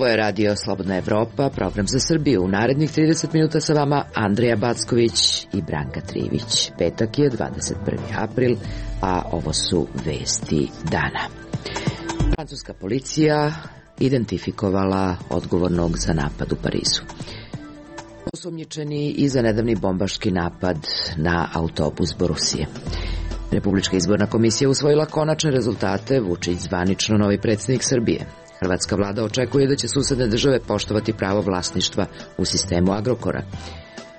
Ovo je Radio Slobodna Evropa, program za Srbiju. U narednih 30 minuta sa vama Andrija Backović i Branka Trivić. Petak je 21. april, a ovo su vesti dana. Francuska policija identifikovala odgovornog za napad u Parizu. Osumnjičeni i za nedavni bombaški napad na autobus Borusije. Republička izborna komisija usvojila konačne rezultate, Vučić zvanično novi predsjednik Srbije. Hrvatska vlada očekuje da će susedne države poštovati pravo vlasništva u sistemu Agrokora.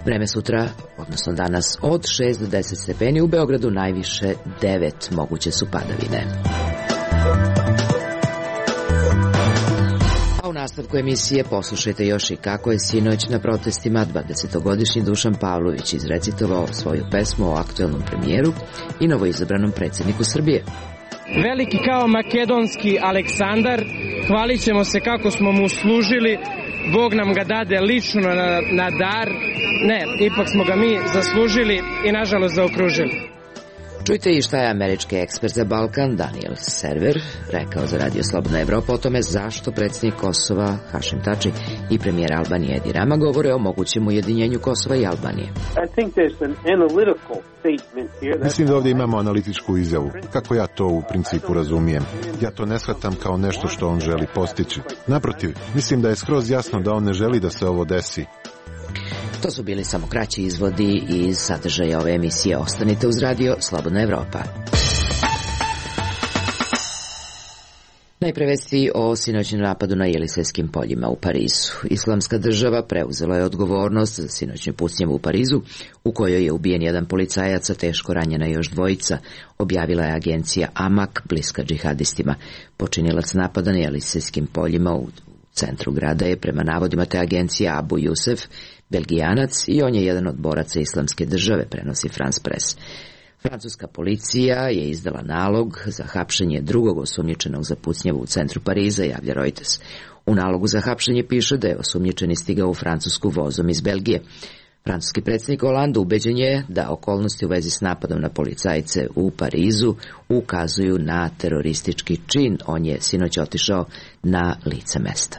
Vreme sutra, odnosno danas, od 6 do 10 stepeni, u Beogradu najviše 9, moguće su padavine. A u nastavku emisije poslušajte još i kako je sinoć na protestima 20-godišnji Dušan Pavlović izrecitovao svoju pesmu o aktuelnom premijeru i novoizabranom predsjedniku Srbije. Veliki kao makedonski Aleksandar, hvalit ćemo se kako smo mu služili, Bog nam ga dade lično na dar, ne, ipak smo ga mi zaslužili i nažalost zaokružili. Čujte i šta je američki ekspert za Balkan Daniel Server rekao za Radio Slobodna Evropa o tome zašto predsjednik Kosova Hašim Tači i premijer Albanije Edi Rama govore o mogućem ujedinjenju Kosova i Albanije. Mislim da ovdje imamo analitičku izjavu. Kako ja to u principu razumijem? Ja to ne shvatam kao nešto što on želi postići. Naprotiv, mislim da je skroz jasno da on ne želi da se ovo desi. To su bili samo kraći izvodi iz sadržaja ove emisije. Ostanite uz Radio Slobodna Evropa. Najpre vesti o sinoćnom napadu na Jelisejskim poljima u Parizu. Islamska država preuzela je odgovornost za sinoćnu pucnjavu u Parizu, u kojoj je ubijen jedan policajac, a teško ranjena još dvojica, objavila je agencija Amak, bliska džihadistima. Počinilac napada na Jelisejskim poljima u centru grada je, prema navodima te agencije, Abu Jusef, Belgijanac, i on je jedan od boraca Islamske države, prenosi France Press. Francuska policija je izdala nalog za hapšenje drugog osumnjičenog za pucnjavu u centru Pariza, javlja Reuters. U nalogu za hapšenje piše da je osumnjičeni stigao u Francusku vozom iz Belgije. Francuski predsjednik Hollande ubeđen je da okolnosti u vezi s napadom na policajce u Parizu ukazuju na teroristički čin. On je sinoć otišao na lice mesta.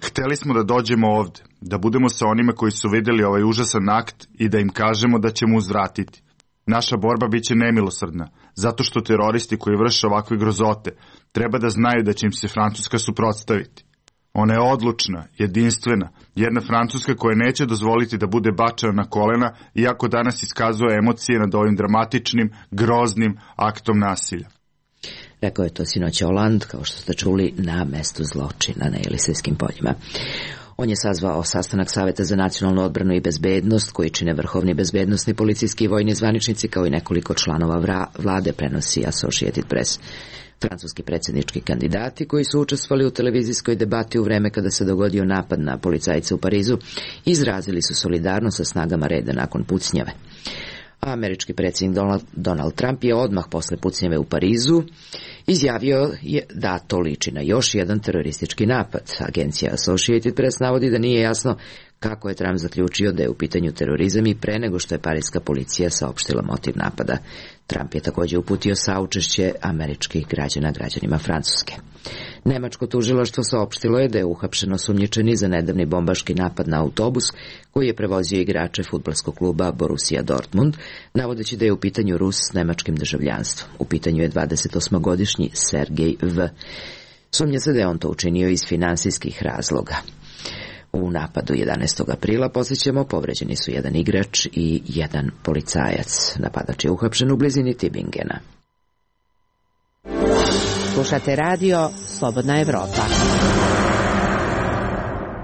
Hteli smo da dođemo ovde, da budemo sa onima koji su vidjeli ovaj užasan akt i da im kažemo da ćemo uzvratiti. Naša borba biće nemilosrdna, zato što teroristi koji vrše ovakve grozote treba da znaju da će im se Francuska suprotstaviti. Ona je odlučna, jedinstvena, jedna Francuska koja neće dozvoliti da bude bačena na kolena, iako danas iskazuje emocije nad ovim dramatičnim, groznim aktom nasilja. Rekao je to sinoć Hollande, kao što ste čuli, na mestu zločina na Jelisejskim poljima. On je sazvao sastanak Saveta za nacionalnu odbranu i bezbednost, koji čine vrhovni bezbednosni, policijski i vojni zvaničnici, kao i nekoliko članova vlade, prenosi Associated Press. Francuski predsjednički kandidati koji su učestvovali u televizijskoj debati u vreme kada se dogodio napad na policajce u Parizu izrazili su solidarnost sa snagama reda nakon pucnjave. Američki predsjednik Donald Trump je odmah posle pucnjave u Parizu izjavio da to liči na još jedan teroristički napad. Agencija Associated Press navodi da nije jasno kako je Trump zaključio da je u pitanju terorizam i pre nego što je parijska policija saopštila motiv napada. Trump je također uputio saučešće američkih građana građanima Francuske. Nemačko tužilaštvo saopštilo je da je uhapšen osumnjičeni za nedavni bombaški napad na autobus koji je prevozio igrače fudbalskog kluba Borussia Dortmund, navodeći da je u pitanju Rus s nemačkim državljanstvom. U pitanju je 28-godišnji Sergej V. Sumnja se da je on to učinio iz finansijskih razloga. U napadu 11. aprila, podsjećamo, povređeni su jedan igrač i jedan policajac. Napadač je uhapšen u blizini Tübingena. Slušate Radio Slobodna Evropa.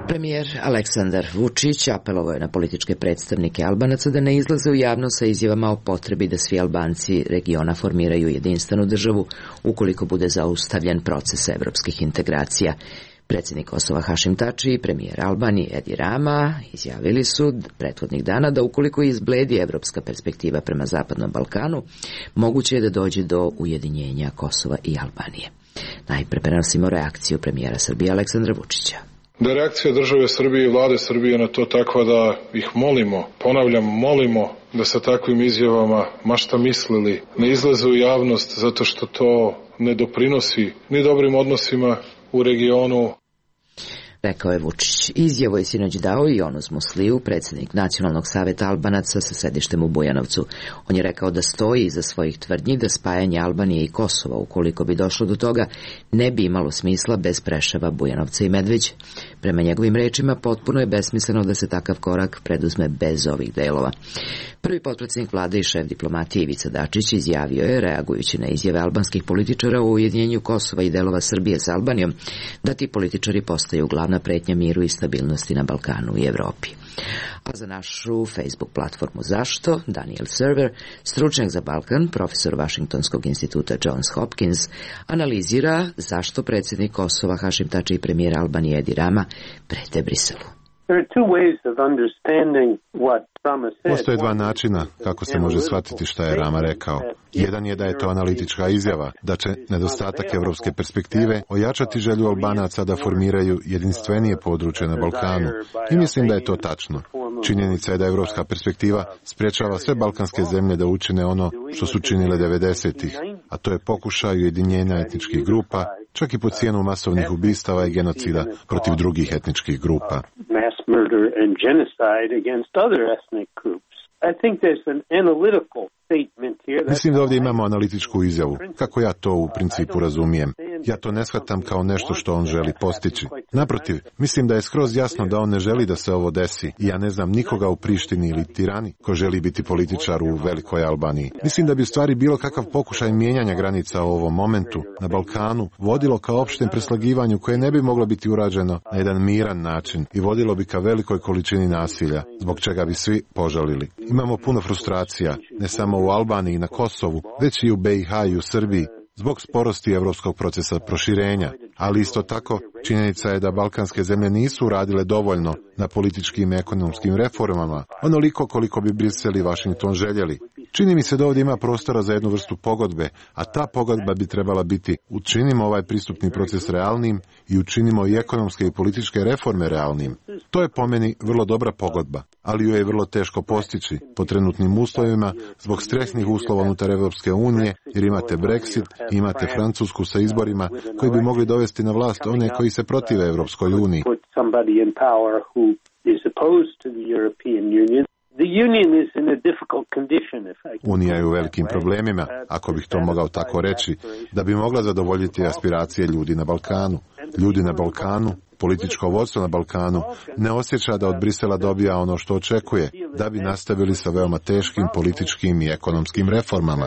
Premijer Aleksandar Vučić apelovao je na političke predstavnike Albanaca da ne izlaze u javnost sa izjavama o potrebi da svi Albanci regiona formiraju jedinstvenu državu ukoliko bude zaustavljen proces evropskih integracija. Predsjednik Kosova Hašim Tači i premijer Albanije Edi Rama izjavili su prethodnih dana da ukoliko izbledi evropska perspektiva prema Zapadnom Balkanu, moguće je da dođe do ujedinjenja Kosova i Albanije. Najpre prenosimo reakciju premijera Srbije Aleksandra Vučića. Da je reakcija države Srbije i vlade Srbije na to takva da ih molimo, ponavljam, molimo da sa takvim izjavama, ma šta mislili, ne izlaze u javnost zato što to ne doprinosi ni dobrim odnosima u regionu. Rekao je Vučić. Izjavu je sinoć dao i Onuz Musliju, predsjednik Nacionalnog saveta Albanaca sa sedištem u Bujanovcu. On je rekao da stoji iza svojih tvrdnji da spajanje Albanije i Kosova, ukoliko bi došlo do toga, ne bi imalo smisla bez Preševa, Bujanovca i Medveđe. Prema njegovim rečima, potpuno je besmisleno da se takav korak preduzme bez ovih delova. Prvi potpredsjednik vlade i šef diplomatije Ivica Dačić izjavio je, reagujući na izjave albanskih političara o ujedinjenju Kosova i delova Srbije sa Albanijom, da ti političari postaju glavna pretnja miru i stabilnosti na Balkanu i Evropi. A za našu Facebook platformu Zašto, Daniel Server, stručnjak za Balkan, profesor Vašingtonskog instituta Johns Hopkins, analizira zašto predsjednik Kosova Hašim Tači i premijer Albanije Edi Rama prete Briselu. Postoje dva načina kako se može shvatiti šta je Rama rekao. Jedan je da je to analitička izjava, da će nedostatak evropske perspektive ojačati želju Albanaca da formiraju jedinstvenije područje na Balkanu. I mislim da je to tačno. Činjenica je da evropska perspektiva sprječava sve balkanske zemlje da učine ono što su činile 90-ih, a to je pokušaj ujedinjenja etničkih grupa, čak i po cijenu masovnih ubistava i genocida protiv drugih etničkih grupa. Mislim da ovdje imamo analitičku izjavu, kako ja to u principu razumijem. Ja to ne shvatam kao nešto što on želi postići. Naprotiv, mislim da je skroz jasno da on ne želi da se ovo desi i ja ne znam nikoga u Prištini ili Tirani ko želi biti političar u Velikoj Albaniji. Mislim da bi u stvari bilo kakav pokušaj mijenjanja granica u ovom momentu na Balkanu vodilo ka opštem preslagivanju koje ne bi moglo biti urađeno na jedan miran način i vodilo bi ka velikoj količini nasilja, zbog čega bi svi požalili. Imamo puno frustracija, ne samo u Albaniji i na Kosovu, već i u BiH i u Srbiji, zbog sporosti evropskog procesa proširenja, ali isto tako činjenica je da balkanske zemlje nisu uradile dovoljno na političkim i ekonomskim reformama, onoliko koliko bi Brisel i Washington željeli. Čini mi se da ovdje ima prostora za jednu vrstu pogodbe, a ta pogodba bi trebala biti učinimo ovaj pristupni proces realnim i učinimo i ekonomske i političke reforme realnim. To je po meni vrlo dobra pogodba, ali ju je vrlo teško postići po trenutnim uslovima zbog stresnih uslova unutar Evropske unije, jer imate Brexit i imate Francusku sa izborima koji bi mogli dovesti na vlast one koji se protive Evropskoj uniji. Unija je u velikim problemima, ako bih to mogao tako reći, da bi mogla zadovoljiti aspiracije ljudi na Balkanu. Ljudi na Balkanu, političko vodstvo na Balkanu, ne osjeća da od Brisela dobija ono što očekuje, da bi nastavili sa veoma teškim političkim i ekonomskim reformama.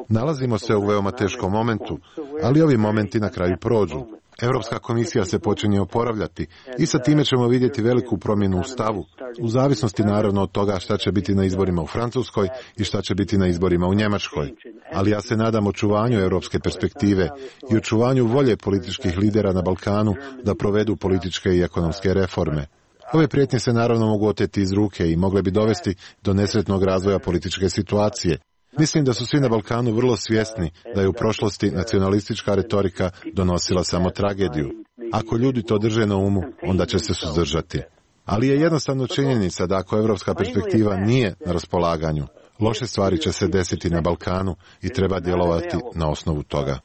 Nalazimo se u veoma teškom momentu, ali ovi momenti na kraju prođu. Europska komisija se počinje oporavljati i sa time ćemo vidjeti veliku promjenu u stavu, u zavisnosti naravno od toga šta će biti na izborima u Francuskoj i šta će biti na izborima u Njemačkoj. Ali ja se nadam očuvanju europske perspektive i očuvanju volje političkih lidera na Balkanu da provedu političke i ekonomske reforme. Ove prijetnje se naravno mogu oteti iz ruke i mogle bi dovesti do nesretnog razvoja političke situacije. Mislim da su svi na Balkanu vrlo svjesni da je u prošlosti nacionalistička retorika donosila samo tragediju. Ako ljudi to drže na umu, onda će se suzdržati. Ali je jednostavno činjenica da ako evropska perspektiva nije na raspolaganju, loše stvari će se desiti na Balkanu i treba djelovati na osnovu toga.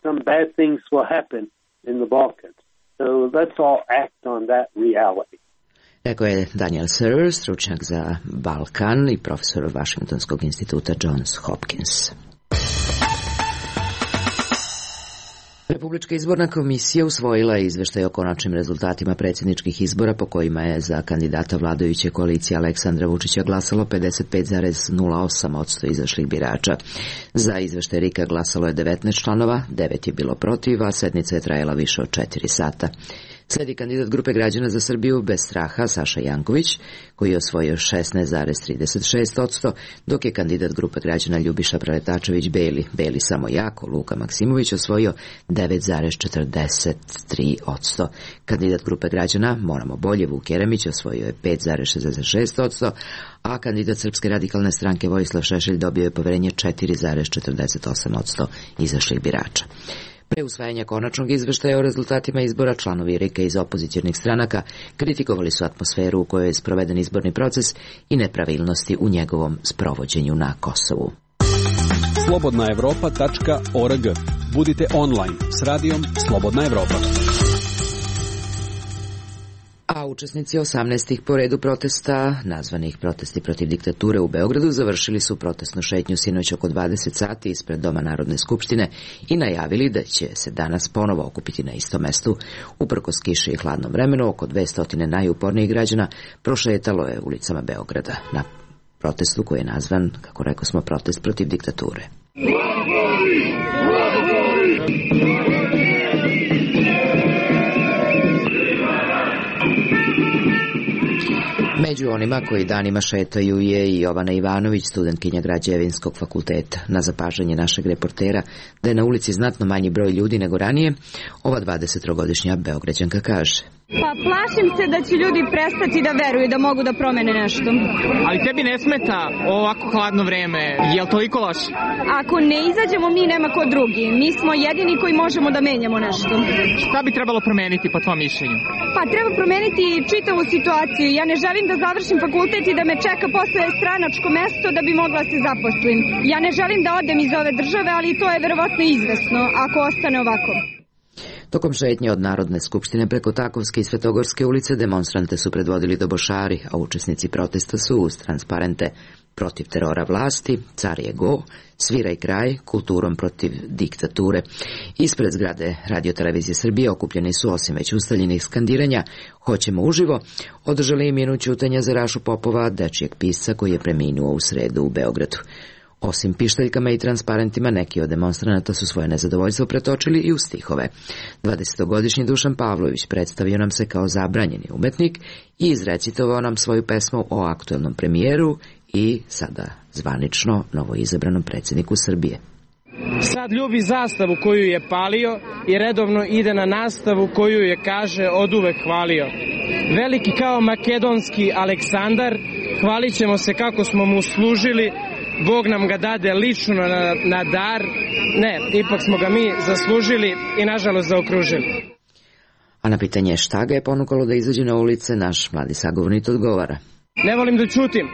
Rekao je Daniel Server, stručnjak za Balkan i profesor Vašingtonskog instituta Johns Hopkins. Republička izborna komisija usvojila je izveštaj o konačnim rezultatima predsjedničkih izbora po kojima je za kandidata vladajuće koalicije Aleksandra Vučića glasalo 55,08% izašlih birača. Za izveštaj RIK-a glasalo je 19 članova, 9 je bilo protiv, a sednica je trajala više od 4 sata. Sledi kandidat grupe građana za Srbiju bez straha Saša Janković, koji je osvojio 16,36%, dok je kandidat grupe građana Ljubiša Preletačević Beli samo jako, Luka Maksimović osvojio 9,43%. Kandidat grupe građana Moramo bolje Vuk Jeremić osvojio je 5,66%, a kandidat Srpske radikalne stranke Vojislav Šešelj dobio je poverenje 4,48% izašlih birača. Pre usvajanja konačnog izveštaja o rezultatima izbora, članovi RIK-a iz opozicionih stranaka kritikovali su atmosferu u kojoj je sproveden izborni proces i nepravilnosti u njegovom sprovođenju na Kosovu. Slobodnaevropa.org. Budite online s radijom Slobodna Evropa. A učesnici 18. po redu protesta, nazvanih protesti protiv diktature u Beogradu, završili su protestnu šetnju sinoć oko 20 sati ispred Doma Narodne skupštine i najavili da će se danas ponovo okupiti na istom mestu. Uprkos kiši i hladnom vremenu, oko 200 najupornijih građana prošetalo je ulicama Beograda na protestu koji je nazvan, kako rekao smo, protest protiv diktature. Među onima koji danima šetaju je i Jovana Ivanović, studentkinja Građevinskog fakulteta. Na zapažanje našeg reportera da je na ulici znatno manji broj ljudi nego ranije, ova 23-godišnja Beograđanka kaže: Pa plašim se da će ljudi prestati da veruju da mogu da promene nešto. Ali tebi ne smeta ovako hladno vreme, je li toliko loše? Ako ne izađemo mi, nema ko drugi. Mi smo jedini koji možemo da menjamo nešto. Šta bi trebalo promeniti po tvojom mišljenju? Pa treba promeniti čitavu situaciju. Ja ne želim da završim fakultet i da me čeka posle stranačko mesto da bi mogla se zaposlim. Ja ne želim da odem iz ove države, ali to je verovatno izvesno ako ostane ovako. Tokom šetnje od Narodne skupštine preko Takovske i Svetogorske ulice demonstrante su predvodili dobošari, a učesnici protesta su uz transparente protiv terora vlasti, car je go, sviraj kraj, kulturom protiv diktature. Ispred zgrade Radio-televizije Srbije okupljeni su, osim već ustaljenih skandiranja "Hoćemo uživo", održali i minut ćutanja za Rašu Popova, dečijeg pisca koji je preminuo u sredu u Beogradu. Osim pištaljkama i transparentima, neki od demonstranata su svoje nezadovoljstvo pretočili i u stihove. 20-godišnji Dušan Pavlović predstavio nam se kao zabranjeni umetnik i izrecitovao nam svoju pesmu o aktuelnom premijeru i sada zvanično novoizabranom predsjedniku Srbije. Sad ljubi zastavu koju je palio i redovno ide na nastavu koju je, kaže, oduvek hvalio. Veliki kao makedonski Aleksandar, hvalit ćemo se kako smo mu služili, Bog nam ga dade lično na dar, ne, ipak smo ga mi zaslužili i nažalost zaokružili. A na pitanje šta ga je ponukalo da izađe na ulice, naš mladi sagovornik odgovara: Ne volim da ćutim,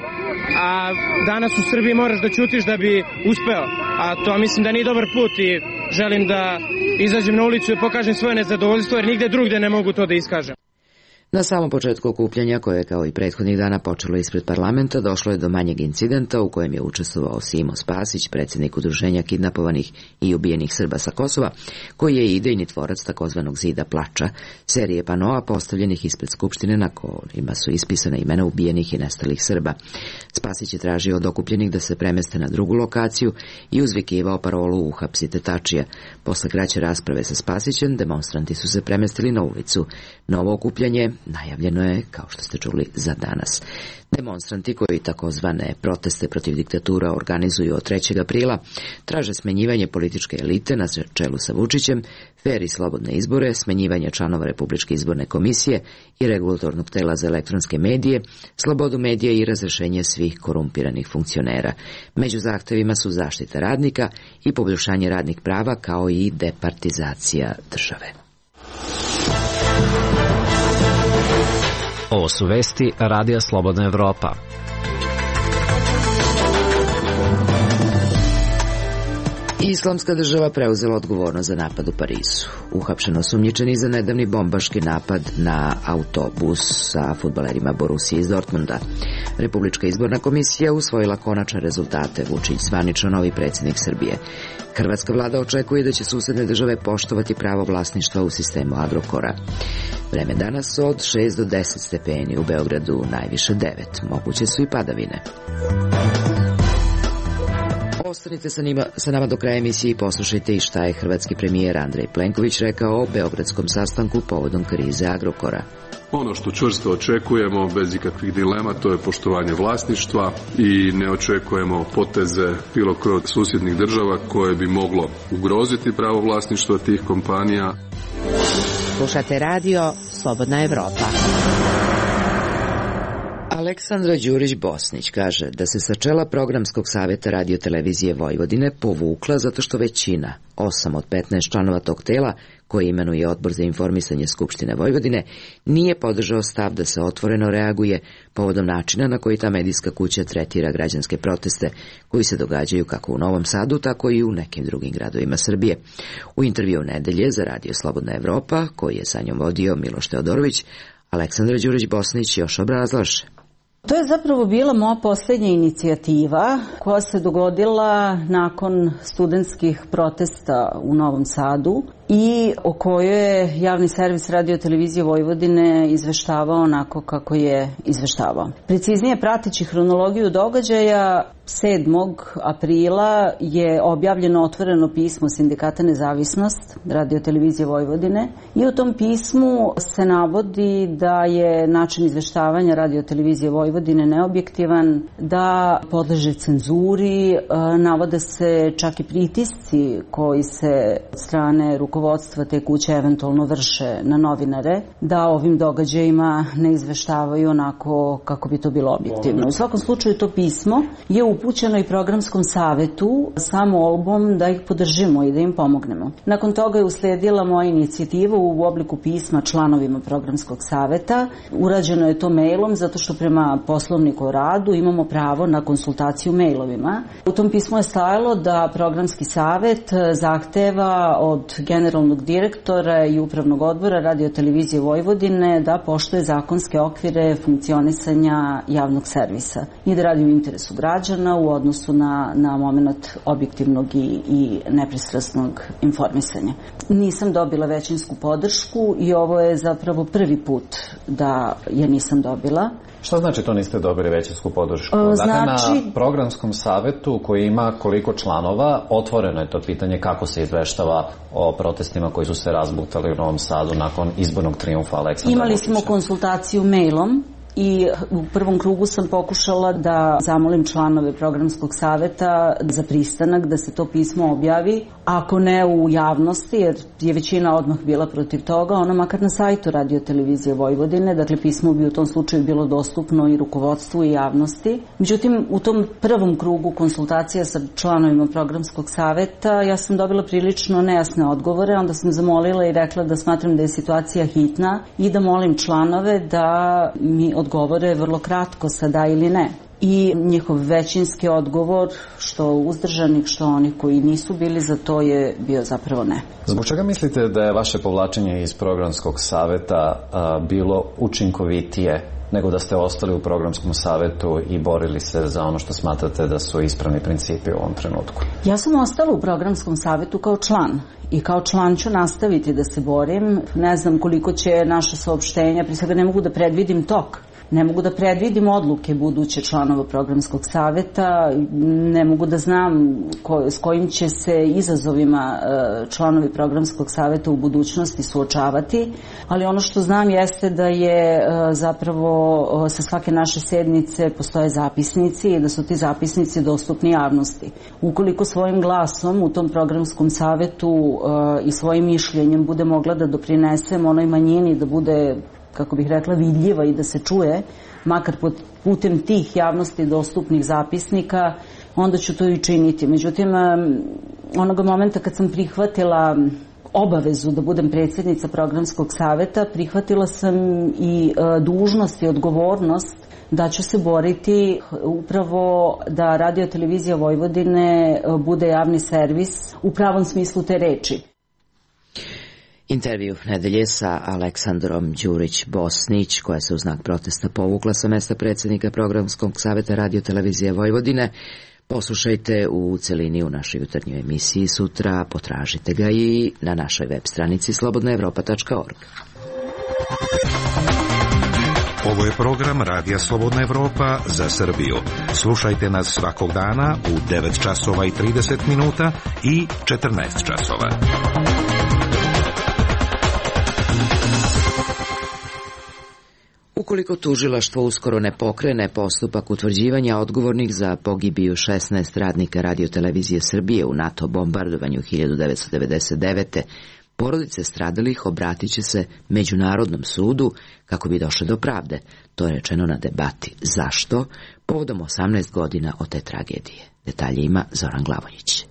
a danas u Srbiji moraš da ćutiš da bi uspeo, a to mislim da nije dobar put i želim da izađem na ulicu i pokažem svoje nezadovoljstvo, jer nigde drugde ne mogu to da iskažem. Na samom početku okupljanja, koje je kao i prethodnih dana počelo ispred parlamenta, došlo je do manjeg incidenta u kojem je učestvovao Simo Spasić, predsjednik udruženja kidnapovanih i ubijenih Srba sa Kosova, koji je idejni tvorac takozvanog Zida plača, serije panoa postavljenih ispred Skupštine na kojima su ispisana imena ubijenih i nestalih Srba. Spasić je tražio od okupljenih da se premeste na drugu lokaciju i uzvikivao parolu "Uhapsite Tačija". Posle kraće rasprave sa Spasićem, demonstranti su se premestili na ulicu. Novo okupljanje najavljeno je, kao što ste čuli, za danas. Demonstranti koji takozvane proteste protiv diktatura organizuju od 3. aprila traže smenjivanje političke elite na čelu sa Vučićem, fer i slobodne izbore, smenjivanje članova Republičke izborne komisije i regulatornog tela za elektronske medije, slobodu medija i razrešenje svih korumpiranih funkcionera. Među zahtevima su zaštita radnika i poboljšanje radnih prava, kao i departizacija države. Ovo su vesti Radija Slobodna Evropa. Islamska država preuzela odgovornost za napad u Parizu. Uhapšeno osumnjičeni za nedavni bombaški napad na autobus sa fudbalerima Borussije iz Dortmunda. Republička izborna komisija usvojila konačne rezultate. Vučić zvanično novi predsjednik Srbije. Hrvatska vlada očekuje da će susedne države poštovati pravo vlasništva u sistemu Agrokora. Vreme danas od 6 do 10 stepeni, u Beogradu najviše 9. Moguće su i padavine. Ostanite sa nama do kraja emisije i poslušajte i šta je hrvatski premijer Andrej Plenković rekao o beogradskom sastanku povodom krize Agrokora. Ono što čvrsto očekujemo, bez ikakvih dilema, to je poštovanje vlasništva i ne očekujemo poteze bilo kroz susjednih država koje bi moglo ugroziti pravo vlasništva tih kompanija. Slušate radio Slobodna Evropa. Aleksandra Đurić-Bosnić kaže da se sa čela Programskog saveta Radio-televizije Vojvodine povukla zato što većina, 8 od 15 članova tog tela, koji imenuje Odbor za informisanje Skupštine Vojvodine, nije podržao stav da se otvoreno reaguje povodom načina na koji ta medijska kuća tretira građanske proteste koji se događaju kako u Novom Sadu, tako i u nekim drugim gradovima Srbije. U intervju nedelje za Radio Slobodna Evropa, koji je sa njom vodio Miloš Teodorović, Aleksandra Đurić-Bosnić još obrazlaže. To je zapravo bila moja posljednja inicijativa koja se dogodila nakon studentskih protesta u Novom Sadu i o kojoj je javni servis Radio-televizije Vojvodine izveštavao onako kako je izveštavao. Preciznije, prateći hronologiju događaja, 7. aprila je objavljeno otvoreno pismo Sindikata Nezavisnost Radio-televizije Vojvodine i u tom pismu se navodi da je način izveštavanja Radio-televizije Vojvodine neobjektivan, da podleže cenzuri, navode se čak i pritisci koji se od strane rukovodstva te kuće eventualno vrše na novinare, da ovim događajima ne izveštavaju onako kako bi to bilo objektivno. U svakom slučaju to pismo je upućeno i Programskom savetu sa molbom da ih podržimo i da im pomognemo. Nakon toga je uslijedila moja inicijativa u obliku pisma članovima Programskog saveta. Urađeno je to mailom zato što prema Poslovniku o radu imamo pravo na konsultaciju mailovima. U tom pismu je stajalo da Programski savet zahteva od generalnog direktora i upravnog odbora Radio-televizije Vojvodine da poštuje zakonske okvire funkcionisanja javnog servisa i da radi u interesu građana u odnosu na moment objektivnog i nepristrasnog informisanja. Nisam dobila većinsku podršku i ovo je zapravo prvi put da je nisam dobila. Šta znači to niste dobili većinsku podršku? Dakle, na Programskom savetu koji ima koliko članova, otvoreno je to pitanje kako se izveštava o protestima koji su se razbuktali u Novom Sadu nakon izbornog trijumfa Aleksandra Vučića. Imali smo konsultaciju mailom i u prvom krugu sam pokušala da zamolim članove Programskog saveta za pristanak da se to pismo objavi, ako ne u javnosti, jer je većina odmah bila protiv toga, ono makar na sajtu Radio-televizije Vojvodine, dakle pismo bi u tom slučaju bilo dostupno i rukovodstvu i javnosti. Međutim, u tom prvom krugu konsultacija sa članovima Programskog saveta ja sam dobila prilično nejasne odgovore, onda sam zamolila i rekla da smatram da je situacija hitna i da molim članove da mi odgovore vrlo kratko sa da ili ne. I njihov većinski odgovor, što uzdržanih, što onih koji nisu bili za to, je bio zapravo ne. Zbog čega mislite da je vaše povlačenje iz Programskog saveta bilo učinkovitije nego da ste ostali u Programskom savetu i borili se za ono što smatrate da su ispravni principi u ovom trenutku? Ja sam ostala u Programskom savetu kao član. I kao član ću nastaviti da se borim. Ne znam koliko će naša saopštenja, prije svega ne mogu da predvidim tok. Ne mogu da predvidim odluke buduće članova Programskog saveta, ne mogu da znam s kojim će se izazovima članovi Programskog saveta u budućnosti suočavati, ali ono što znam jeste da je zapravo sa svake naše sednice postoje zapisnici i da su ti zapisnici dostupni javnosti. Ukoliko svojim glasom u tom Programskom savetu i svojim mišljenjem bude mogla da doprinesem onoj manjini da bude, kako bih rekla, vidljiva i da se čuje, makar putem tih javnosti dostupnih zapisnika, onda ću to i činiti. Međutim, onoga momenta kad sam prihvatila obavezu da budem predsjednica Programskog saveta, prihvatila sam i dužnost i odgovornost da ću se boriti upravo da Radio-televizija Vojvodine bude javni servis u pravom smislu te reči. Intervju nedelje sa Aleksandrom Đurić-Bosnić, koja se u znak protesta povukla sa mesta predsjednika Programskog saveta Radio-televizije Vojvodine. Poslušajte u celini u našoj jutarnjoj emisiji sutra, potražite ga i na našoj web stranici slobodnaevropa.org. Ovo je program Radija Slobodna Evropa za Srbiju. Slušajte nas svakog dana u 9 časova i 30 minuta i 14 časova. Ukoliko tužilaštvo uskoro ne pokrene postupak utvrđivanja odgovornih za pogibiju 16 radnika Radio-televizije Srbije u NATO bombardovanju 1999. Porodice stradalih obratit će se Međunarodnom sudu kako bi došle do pravde. To je rečeno na debati. Zašto? Povodom 18 godina od te tragedije. Detalje ima Zoran Glavonjić.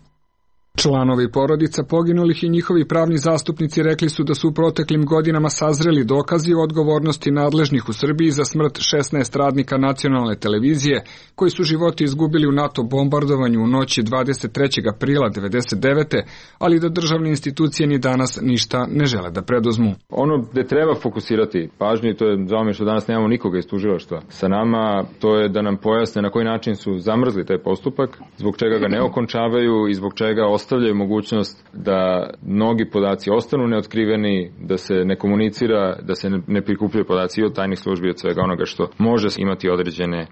Članovi porodica poginulih i njihovi pravni zastupnici rekli su da su u proteklim godinama sazreli dokazi o odgovornosti nadležnih u Srbiji za smrt 16 radnika nacionalne televizije koji su životi izgubili u NATO bombardovanju u noći 23. aprila 1999. ali da državne institucije ni danas ništa ne žele da preduzmu. Ono gde treba fokusirati pažnju, to je žao mi što danas nemamo nikoga iz tužilaštva sa nama, to je da nam pojasne na koji način su zamrzli taj postupak, zbog čega ga ne okončavaju i zbog čega ostavljaju mogućnost da mnogi podaci ostanu neotkriveni, da se ne komunicira, da se ne prikupljaju podaci i od tajnih službi, od svega onoga što može imati određene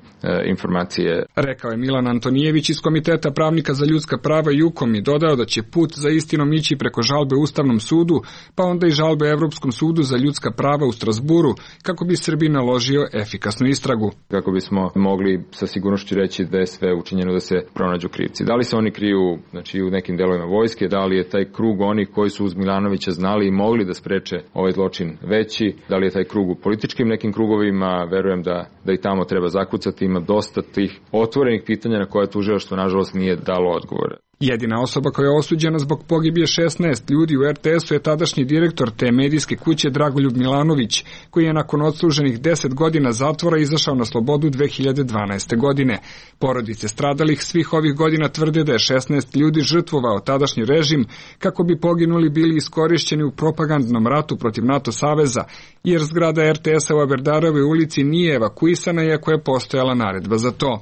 informacije. Rekao je Milan Antonijević iz Komiteta pravnika za ljudska prava i UKOM i dodao da će put za istinom ići preko žalbe Ustavnom sudu, pa onda i žalbe Evropskom sudu za ljudska prava u Strasburu, kako bi Srbiji naložio efikasnu istragu. Kako bismo mogli sa sigurnošću reći da je sve učinjeno da se pronađu krivci. Da li se oni kriju, znači, u nekim delovima vojske, da li je taj krug onih koji su uz Milanovića znali i mogli da spreče ovaj zločin veći, da li je taj krug u političkim nekim krugovima, verujem da i tamo treba zakucati, ima dosta tih otvorenih pitanja na koje tužilaštvo nažalost nije dalo odgovore. Jedina osoba koja je osuđena zbog pogibije 16 ljudi u RTS-u je tadašnji direktor te medijske kuće Dragoljub Milanović, koji je nakon odsluženih 10 godina zatvora izašao na slobodu 2012. godine. Porodice stradalih svih ovih godina tvrde da je 16 ljudi žrtvovao tadašnji režim kako bi poginuli bili iskorišćeni u propagandnom ratu protiv NATO saveza, jer zgrada RTS-a u Aberdarovoj ulici nije evakuisana iako je postojala naredba za to.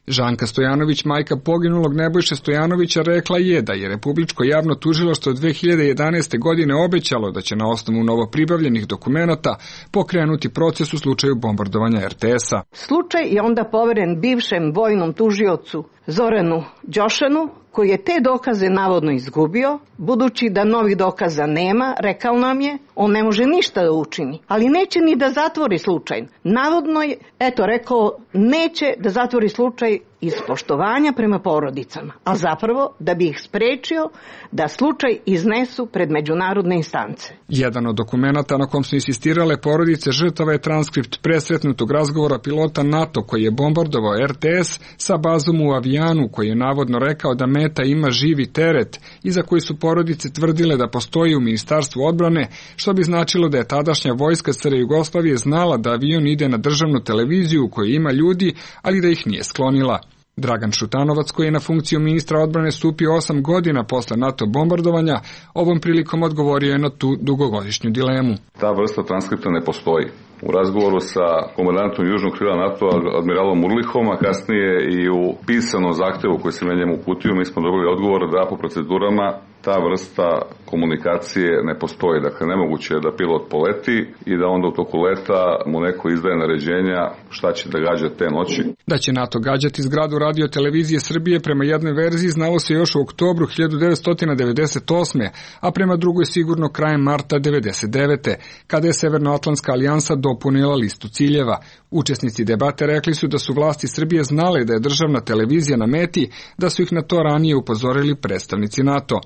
Žanka Stojanović, majka poginulog Nebojše Stojanovića, rekla je da je Republičko javno tužilaštvo 2011. godine obećalo da će na osnovu novopribavljenih dokumenata pokrenuti proces u slučaju bombardovanja RTS-a. Slučaj je onda poveren bivšem vojnom tužiocu Zoranu Đošanu, koji je te dokaze navodno izgubio, budući da novih dokaza nema, rekao nam je, on ne može ništa da učini, ali neće ni da zatvori slučaj. Navodno je, rekao, neće da zatvori slučaj iz poštovanja prema porodicama, a zapravo da bi ih sprečio da slučaj iznesu pred međunarodne instance. Jedan od dokumenata na kom su insistirale porodice žrtava je transkript presretnutog razgovora pilota NATO koji je bombardovao RTS sa bazom u Avijanu, koji je navodno rekao da meta ima živi teret i za koji su porodice tvrdile da postoji u Ministarstvu odbrane, što bi značilo da je tadašnja vojska SR Jugoslavije znala da avion ide na državnu televiziju u kojoj ima ljudi, ali da ih nije sklonila. Dragan Šutanovac, koji je na funkciju ministra odbrane stupio 8 godina posle NATO bombardovanja, ovom prilikom odgovorio je na tu dugogodišnju dilemu. Ta vrsta transkripta ne postoji. U razgovoru sa komandantom južnog krila NATO, admiralom Urlihom, a kasnije i u pisanom zahtevu koji se njemu uputio, mi smo dobili odgovor da po procedurama ta vrsta komunikacije ne postoji. Dakle, nemoguće je da pilot poleti i da onda u toku leta mu neko izdaje naređenja šta će da gađa te noći. Da će NATO gađati zgradu Radio televizije Srbije prema jednoj verziji znalo se još u oktobru 1998. a prema drugoj sigurno krajem marta 1999. kada je Severnoatlantska alijansa dopunila listu ciljeva. Učesnici debate rekli su da su vlasti Srbije znale da je državna televizija na meti, da su ih na to ranije upozorili predstavnici NATO.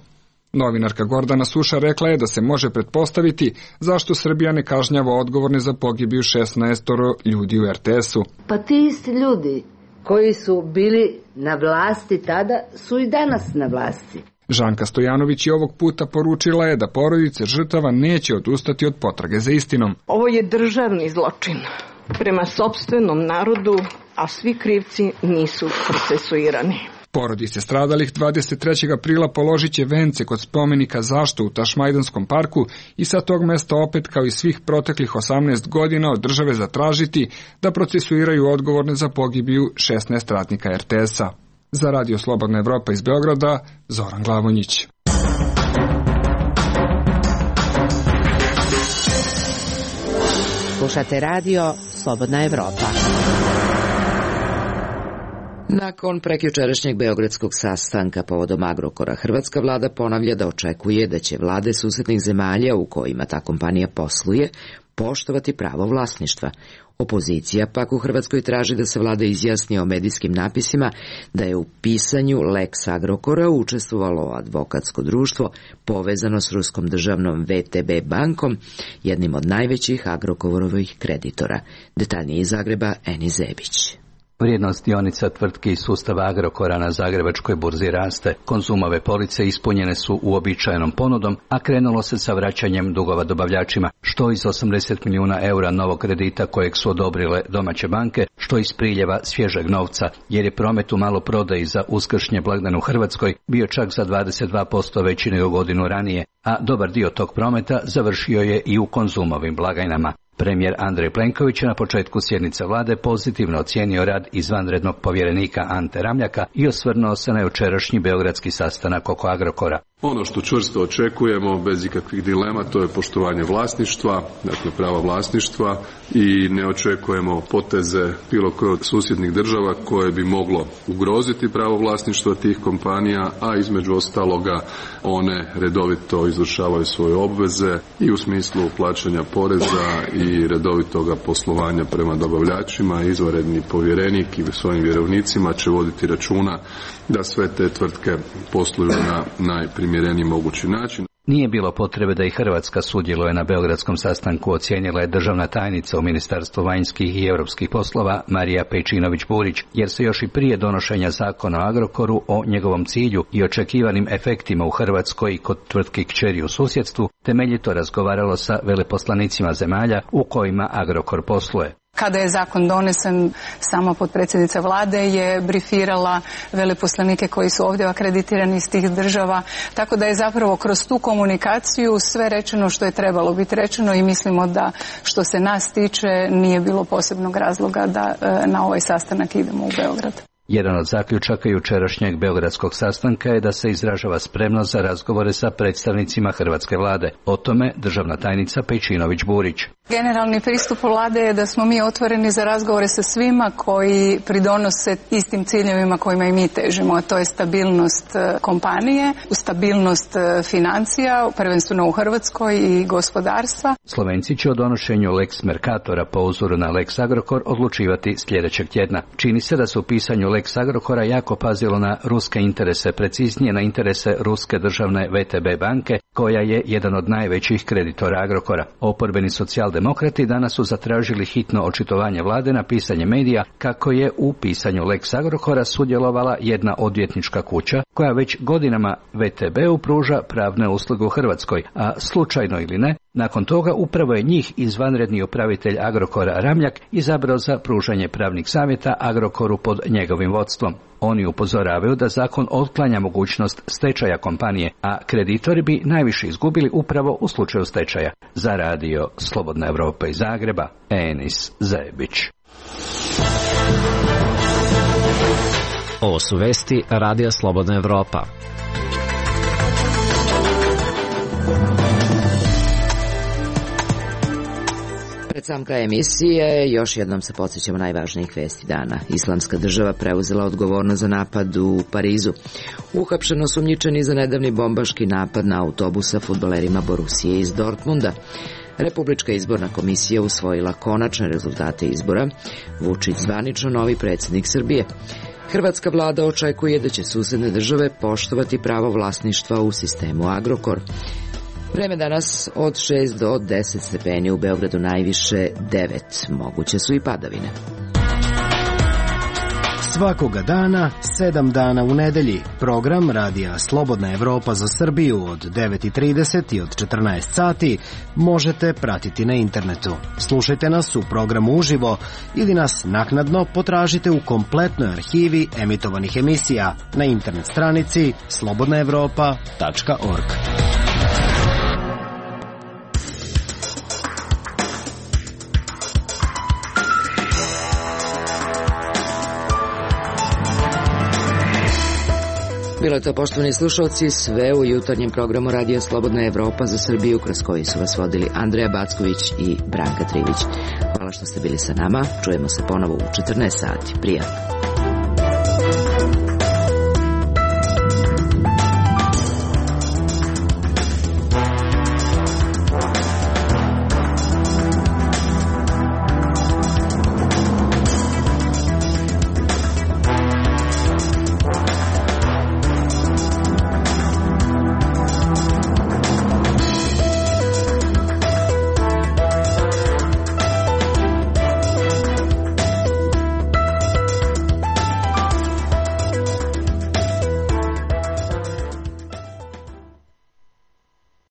Novinarka Gordana Suša rekla je da se može pretpostaviti zašto Srbija ne kažnjava odgovorne za pogibiju 16 ljudi u RTS-u. Pa ti isti ljudi koji su bili na vlasti tada su i danas na vlasti. Žanka Stojanović i ovog puta poručila je da porodice žrtava neće odustati od potrage za istinom. Ovo je državni zločin prema sopstvenom narodu, a svi krivci nisu procesuirani. Porodice stradalih 23. aprila položit će vence kod spomenika Zašto u Tašmajdanskom parku i sa tog mesta opet kao i svih proteklih 18 godina od države zatražiti da procesuiraju odgovorne za pogibiju 16 radnika RTS-a. Za Radio Slobodna Evropa iz Beograda, Zoran Glavonjić. Slušate Radio Slobodna Evropa. Nakon prekjučerašnjeg beogradskog sastanka povodom Agrokora, hrvatska vlada ponavlja da očekuje da će vlade susednih zemalja u kojima ta kompanija posluje poštovati pravo vlasništva. Opozicija pak u Hrvatskoj traži da se vlada izjasni o medijskim napisima da je u pisanju Lex Agrokora učestvovalo advokatsko društvo povezano s ruskom državnom VTB bankom, jednim od najvećih Agrokorovih kreditora. Detaljnije iz Zagreba, Eni Zebić. Vrijednost dionica tvrtki iz sustava Agrokora na Zagrebačkoj burzi raste. Konzumove police ispunjene su uobičajenom ponudom, a krenulo se sa vraćanjem dugova dobavljačima, što iz 80 milijuna eura novog kredita kojeg su odobrile domaće banke, što iz priljeva svježeg novca, jer je promet u maloprodaji za uskršnje blagdan u Hrvatskoj bio čak za 22% veći nego godinu ranije, a dobar dio tog prometa završio je i u konzumovim blagajnama. Premijer Andrej Plenković je na početku sjednice vlade pozitivno ocijenio rad izvanrednog povjerenika Ante Ramljaka i osvrnuo se na jučerašnji beogradski sastanak oko Agrokora. Ono što čvrsto očekujemo, bez ikakvih dilema, to je poštovanje vlasništva, dakle prava vlasništva, i ne očekujemo poteze bilo koje od susjednih država koje bi moglo ugroziti pravo vlasništva tih kompanija, a između ostaloga one redovito izvršavaju svoje obveze i u smislu plaćanja poreza i redovitoga poslovanja prema dobavljačima. Izvanredni povjerenik i svojim vjerovnicima će voditi računa da sve te tvrtke posluju na najprimjereniji mogući način. Nije bilo potrebe da i Hrvatska sudjeluje na beogradskom sastanku, ocijenila je državna tajnica u Ministarstvu vanjskih i europskih poslova Marija Pejčinović-Burić, jer se još i prije donošenja zakona o Agrokoru o njegovom cilju i očekivanim efektima u Hrvatskoj i kod tvrtki kćeri u susjedstvu temeljito razgovaralo sa veleposlanicima zemalja u kojima Agrokor posluje. Kada je zakon donesen, sama potpredsjednica vlade je brifirala veleposlanike koji su ovdje akreditirani iz tih država, tako da je zapravo kroz tu komunikaciju sve rečeno što je trebalo biti rečeno i mislimo da što se nas tiče nije bilo posebnog razloga da na ovaj sastanak idemo u Beograd. Jedan od zaključaka jučerašnjeg beogradskog sastanka je da se izražava spremnost za razgovore sa predstavnicima hrvatske vlade. O tome državna tajnica Pejčinović-Burić. Generalni pristup vlade je da smo mi otvoreni za razgovore sa svima koji pridonose istim ciljevima kojima i mi težimo, a to je stabilnost kompanije, stabilnost financija, prvenstveno u Hrvatskoj i gospodarstva. Slovenci će o donošenju Lex Mercatora po uzoru na Lex Agrokor odlučivati sljedećeg tjedna. Čini se da se u pisanju Lex Agrokora jako pazilo na ruske interese, preciznije na interese ruske državne VTB banke, koja je jedan od najvećih kreditora Agrokora. Oporbeni socijaldemokrati danas su zatražili hitno očitovanje vlade na pisanje medija kako je u pisanju Lex Agrokora sudjelovala jedna odvjetnička kuća koja već godinama VTB-u pruža pravne usluge u Hrvatskoj, a slučajno ili ne, nakon toga upravo je njih izvanredni upravitelj Agrokora Ramljak izabrao za pružanje pravnih savjeta Agrokoru pod njegovim vodstvom. Oni upozoravaju da zakon otklanja mogućnost stečaja kompanije, a kreditori bi najviše izgubili upravo u slučaju stečaja. Za radio Slobodna Evropa iz Zagreba, Enis Zebić. Ovo su vesti Radija Slobodna Evropa. Pred sam kraj emisije još jednom se podsjećamo najvažnijih vesti dana. Islamska država preuzela odgovornost za napad u Parizu. Uhapšeno osumnjičeni za nedavni bombaški napad na autobus sa fudbalerima Borusije iz Dortmunda. Republička izborna komisija usvojila konačne rezultate izbora. Vučić zvanično novi predsjednik Srbije. Hrvatska vlada očekuje da će susedne države poštovati pravo vlasništva u sistemu Agrokor. Vreme danas od 6 do 10 stepeni, u Beogradu najviše 9. Moguće su i padavine. Svakoga dana, 7 dana u nedelji. Program Radija Slobodna Evropa za Srbiju od 9:30 i od 14 sati možete pratiti na internetu. Slušajte nas u programu uživo ili nas naknadno potražite u kompletnoj arhivi emitovanih emisija na internet stranici slobodnaevropa.org. Bilo je to, poštovani slušalci, sve u jutarnjem programu Radija Slobodna Evropa za Srbiju, kroz koji su vas vodili Andreja Backović i Branka Trivić. Hvala što ste bili sa nama. Čujemo se ponovo u 14 sati. Prijatno.